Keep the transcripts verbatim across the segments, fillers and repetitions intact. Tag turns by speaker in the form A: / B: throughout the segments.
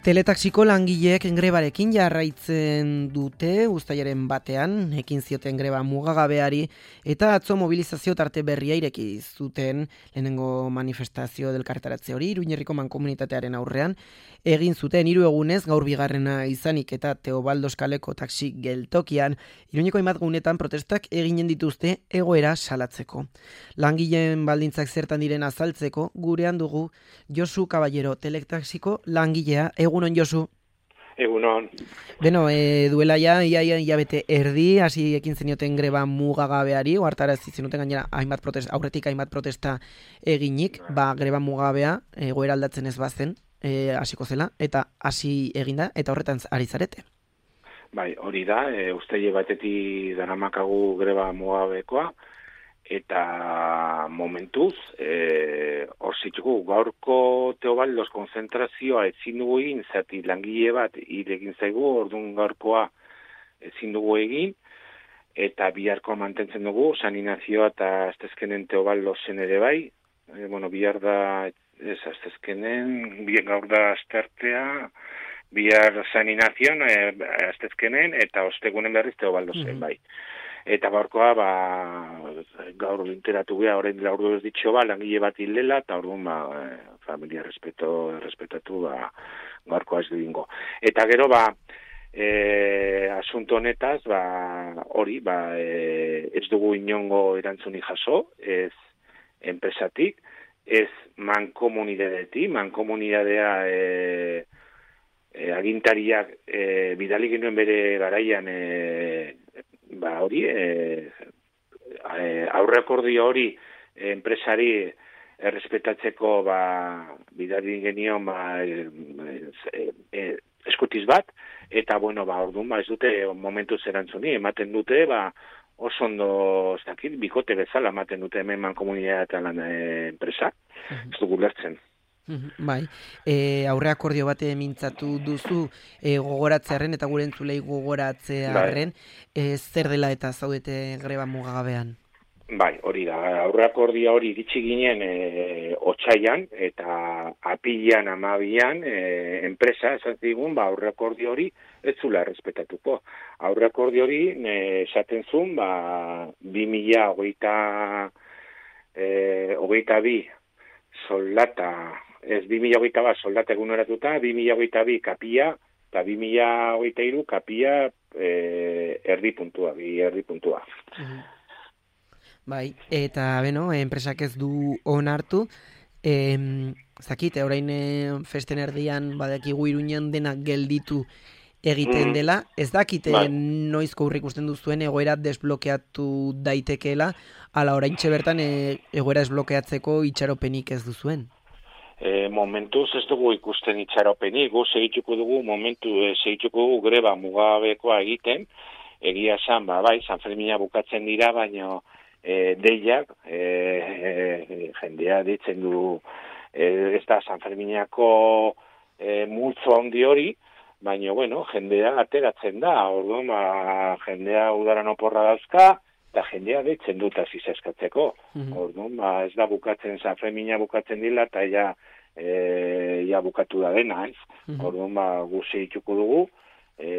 A: Teletaxiko langileek grebarekin jarraitzen dute uztailaren batean, ekin zioten greba mugagabeari eta atzo mobilizazio tarte berria ireki zuten lehenengo manifestazio delkartaratze hori Iruñerriko mankomunitatearen aurrean egin zuten hiru egunez gaur bigarrena izanik eta Teobaldos kaleko taxi geltokian Iruñeko hainbat gunetan protestak eginen dituzte egoera salatzeko. Langileen baldintzak zertan diren azaltzeko gurean dugu Josu Caballero teletaxiko langilea. Egunon, Josu.
B: Egunon.
A: Beno, e, duela ja, ia, ia, ia bete erdi, hasi ekin zenioten greba mugagabeari, oartarazi zenuten gainera hainbat protesta, aurretik hainbat protesta eginik, ba, greba mugabea, egoera aldatzen ez bazen, e, hasiko zela, eta hasi eginda, eta horretan ari zarete.
B: Bai, hori da, e, uztaile batetik daramakagu greba mugabekoa, eta momentuz, e, hor zitugu, gaurko Teobaldos konzentrazioa ezin dugu egin, zati langile bat hil egin zaigu, orduan gaurkoa ezin dugu egin, eta biharkoa mantentzen dugu, saninazioa eta aztezkenen Teobaldosen ere bai, e, bueno, bihar da, ez aztezkenen, bihar gaur da aztertea, bihar saninazioan, e, aztezkenen, eta ostegunen berriz Teobaldosen mm-hmm. bai. Eta gaurkoa, ba, gaur interatu gea, orain dela ordu ez ditxo, ba, langile bat hilela, eta orduan, ba, familia respeto, respetatu, ba, gaurkoa ez dingo. Eta gero, ba, e, asunto honetaz, ba, hori, ba, e, ez dugu inongo erantzuni jaso, ez enpresatik, ez mankomunidadetik, mankomunidadea e, e, agintariak e, bidali genuen bere garaian, e, ba hori, e, e, aurreakordio hori e, enpresari errespetatzeko ba, bidali genion ba, e, e, e, eskutiz bat, eta bueno, ba, orduan, ba, ez dute momentu zerantzuni, ematen dute, ba, oso ondo, ez dakit, bikote bezala ematen dute hemen mankomunitatean lan e, enpresa, ez dugu lertzen.
A: Bai, e, aurre akordio bate mintzatu duzu e, gogoratzearen eta gure entzulei gogoratzearen e, zer dela eta zaudete greba mugagabean?
B: Bai, hori da, aurre akordia hori iritsi ginen e, otsaian eta apilan amabian e, enpresa esan zigun, ba, aurre akordio hori ez zula errespetatuko. Aurre akordio hori e, esaten zuen, ba, bi mila hogeita e, hogeita bi soldata ez bi mila hogeita bat soldata eguneratuta, bi mila hogeita bi kapia, eta bi mila hogeita hiru kapia e, erdi puntua, bi erdi puntua.
A: Uh-huh. Bai, eta beno, enpresak ez du onartu, e, zakite, orain e, festen erdian badakigu Iruñan denak gelditu egiten dela, ez dakite bai. Noizko urrik usten duzuen egoera desblokeatu daitekeela, ala oraintxe bertan e, egoera desblokeatzeko itxaropenik ez duzuen.
B: E, momentuz ez dugu ikusten itxaropenik, gu segituko dugu, momentu e, segituko dugu greba mugabekoa egiten, egia esan, ba, bai, San Fermina bukatzen dira, baina e, deiak, e, e, jendea ditzen du, e, ez da San Ferminako e, multzo handi hori, baina, bueno, jendea ateratzen da, orduan, ba, jendea udaran oporra dauzka, eta jendea ditzen dut azizaskatzeko. Mm-hmm. Orduan, ba, ez da bukatzen, San Fermina bukatzen dila, eta ja, e, ja bukatu da dena, ez? Mm-hmm. Orduan, ba, guzi ituko dugu, e,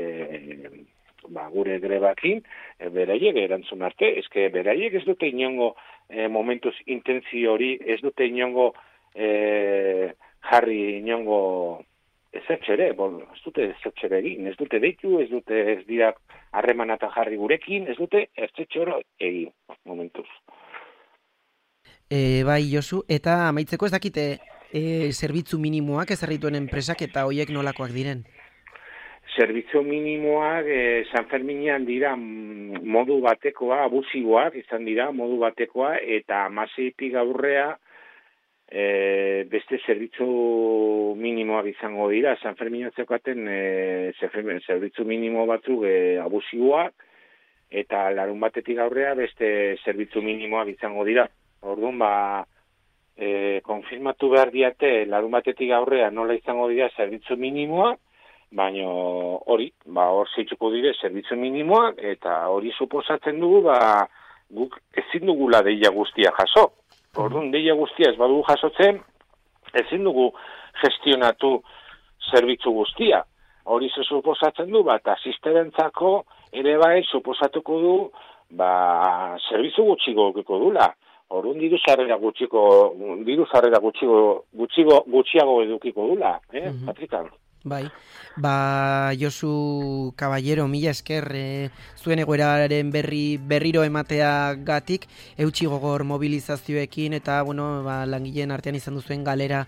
B: ba, gure grebakin, e, beraiek erantzun arte, ezke beraiek ez dute inongo e, momentuz intentzio hori, ez dute inongo e, jarri inongo ezertxere, bon, ez dute ezertxere egin, ez dute deitu, ez dute ez dira harreman eta jarri gurekin, ez dute ezertxoro egin, momentuz.
A: E, bai, Josu, eta amaitzeko ez dakite e, zerbitzu minimoak ezarrituen enpresak eta hoiek nolakoak diren?
B: Zerbitzu minimoak e, San Ferminean dira modu batekoa, abusiboak izan dira modu batekoa, eta amaseitik aurrea E, beste zerbitzu minimoak izango dira, San Ferminatzekoaten e, zerbitzu minimo batzuk e, abusiboak, eta larun batetik aurrea beste zerbitzu minimoak izango dira. Orduan, ba, e, konfirmatu behar diate larun batetik aurrea nola izango dira zerbitzu minimoak, baina hori, ba, hor zeitzuko dire zerbitzu minimoak, eta hori suposatzen dugu, ba, guk ezin dugula deia guztia jaso. Orduan, deia guztia ez badugu jasotzen, ezin dugu gestionatu zerbitzu guztia. Hori ze suposatzen du, bat, asisterentzako ere bai suposatuko du, ba, zerbitzu gutxiko dula. Orduan diru sarrera gutxiko, diru sarrera gutxiko, gutxigo, gutxiago edukiko dula, eh, mm-hmm. Patrikan?
A: Bai, ba, Josu Caballero, mila esker, e, zuen egoeraren berri, berriro ematea gatik, eutxi gogor mobilizazioekin, eta, bueno, ba, langileen artean izan duzuen galera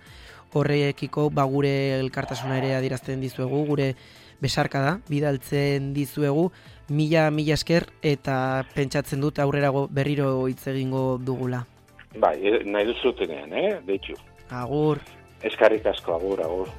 A: horrekiko, ba, gure elkartasuna ere adierazten dizuegu, gure besarka da, bidaltzen dizuegu, mila, mila esker, eta pentsatzen dut aurrerago berriro hitz egingo dugula.
B: Bai, nahi duzutenean, eh, deitxu.
A: Agur.
B: Eskarrik asko, agur, agur.